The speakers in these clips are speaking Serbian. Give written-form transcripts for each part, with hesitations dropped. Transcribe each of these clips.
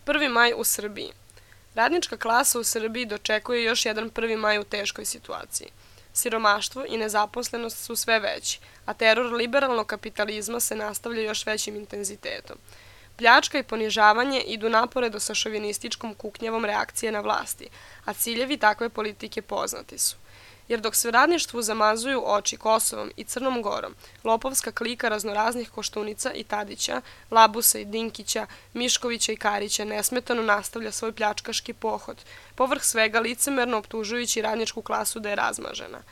1. maj u Srbiji. Radnička klasa u Srbiji dočekuje još jedan 1. maj u teškoj situaciji. Siromaštvo i nezaposlenost su sve veći, a teror liberalnog kapitalizma se nastavlja još većim intenzitetom. Pljačka i ponižavanje idu naporedo sa šovinističkom kuknjavom reakcije na vlasti, a ciljevi takve politike poznati su. Jer dok se radništvu zamazuju oči Kosovom i Crnom Gorom, lopovska klika raznoraznih Koštunica i Tadića, Labusa i Dinkića, Miškovića i Karića nesmetano nastavlja svoj pljačkaški pohod, povrh svega licemerno optužujući radničku klasu da je razmažena.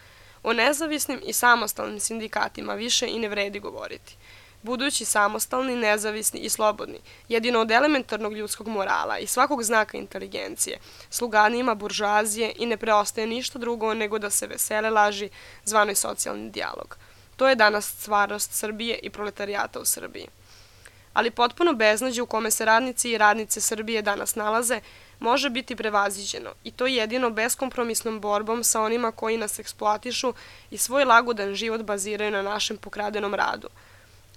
O nezavisnim i samostalnim sindikatima više i ne vredi govoriti. Budući samostalni, nezavisni i slobodni, jedino od elementarnog ljudskog morala i svakog znaka inteligencije, sluganima buržoazije i ne preostaje ništa drugo nego da se vesele laži zvanoj socijalni dijalog. To je danas stvarnost Srbije i proletarijata u Srbiji. Ali potpuno beznađe u kome se radnici i radnice Srbije danas nalaze može biti prevaziđeno i to jedino beskompromisnom borbom sa onima koji nas eksploatišu i svoj lagodan život baziraju na našem pokradenom radu.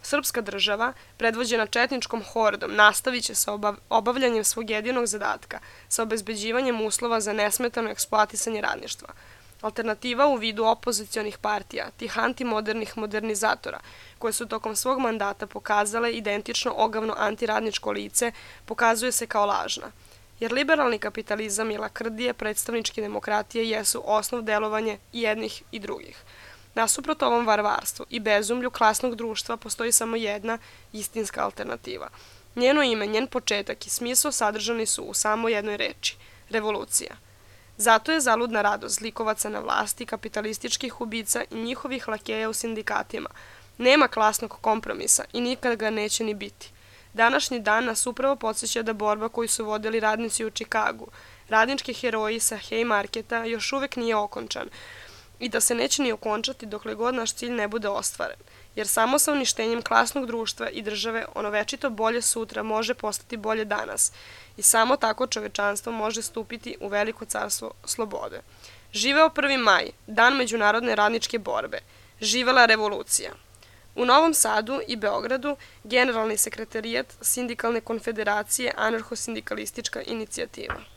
Srpska država, predvođena četničkom hordom, nastavit će sa obavljanjem svog jedinog zadatka, sa obezbeđivanjem uslova za nesmetano eksploatisanje radništva. Alternativa u vidu opozicionih partija, tih antimodernih modernizatora, koje su tokom svog mandata pokazale identično ogavno antiradničko lice, pokazuje se kao lažna. Jer liberalni kapitalizam i lakrdije predstavničke demokratije jesu osnov delovanja jednih i drugih. Nasuprot ovom varvarstvu i bezumlju klasnog društva postoji samo jedna istinska alternativa. Njeno ime, njen početak i smisao sadržani su u samo jednoj reči – revolucija. Zato je zaludna radost zlikovaca na vlasti, kapitalističkih ubica i njihovih lakeja u sindikatima. Nema klasnog kompromisa i nikad ga neće ni biti. Današnji dan nas upravo podsjeća da borba koju su vodili radnici u Čikagu, radnički heroji sa Haymarketa, još uvek nije okončan, i da se neće ni okončati dokle god naš cilj ne bude ostvaren, jer samo sa uništenjem klasnog društva i države ono večito bolje sutra može postati bolje danas i samo tako čovečanstvo može stupiti u veliko carstvo slobode. Živeo 1. maj, dan međunarodne radničke borbe. Živela revolucija. U Novom Sadu i Beogradu Generalni sekretarijat Sindikalne konfederacije Anarcho-sindikalistička inicijativa.